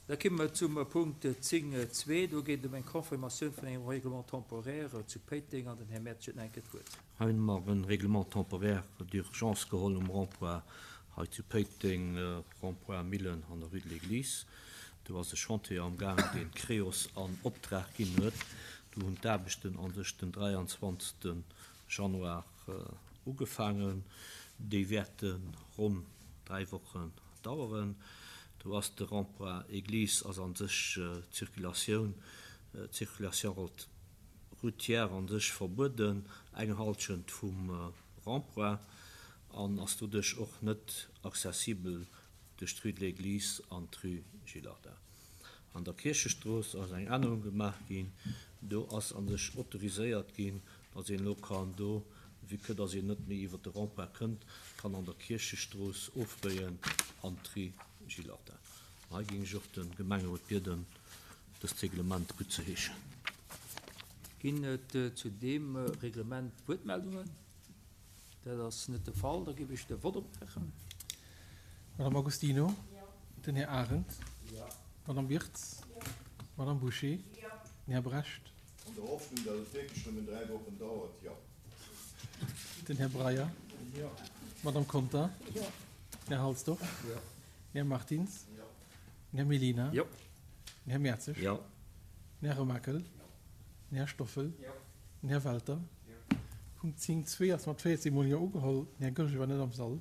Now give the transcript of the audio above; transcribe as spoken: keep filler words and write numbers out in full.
Da komme mer zum Punkt zéng zwee. Do geet et ëm eng Confirmatioun vun engem Règlement temporaire zu Péiteng an den Här Mertsch huet nach eng Kéier d'Wuert. Hei hunn mer e Règlement temporaire d'urgence geholl um Rond-point hei zu Péiteng, Rond-point Millen an der Rue de l'Église. Do ass e Chantier amgaang, deen d'Creos an Optrag ginn huet. Do hunn d'Aarbechten a sech den dräianzwanzegste Januar ugefaangen. Déi wäerte ronn dräi Wochen daueren. Do ass de Rond-point Église ass an sech d'Circulatioun, d'Circulation routière an sech verbueden, eng Halschent vum Rond-point, an ass doduerch och net accessibel duerch d'Rue de l'Église an d'Rue Gillardin. An der Kierchestrooss ass eng Ännerung gemaach ginn, do ass an sech autoriséiert ginn, datt een elo kann do, vue que datt een net méi iwwer de Rond-point kënnt, kann an der Kierchestrooss ofbéien an d'Rue Gillardin. Hei géing ech och de Gemengerot bieden, dëst Reglement guttzeheeschen. Ginn et zu deem Reglement Wuertmeldungen? Dat ass net de Fall. Da géif ech de Vott opmaachen. Madame Agostino? Den Här Arendt? Madame Wirtz? Madame Bouché? Den Här Brecht? An der Hoffnung, datt et wierklech nëmmen dräi Wochen dauert, jo. Den Här Breyer? Madame Conter? Den Här Halsdorf? Den Här Martins? Den Här Mellina? Den Här Mertzig? Den Här Remakel? Den Här Stoffel? Den Här Welter? Punkt zéng zwee ass mat véierzéng Mol Jo ugeholl. Den Här Goergen war net am Sall.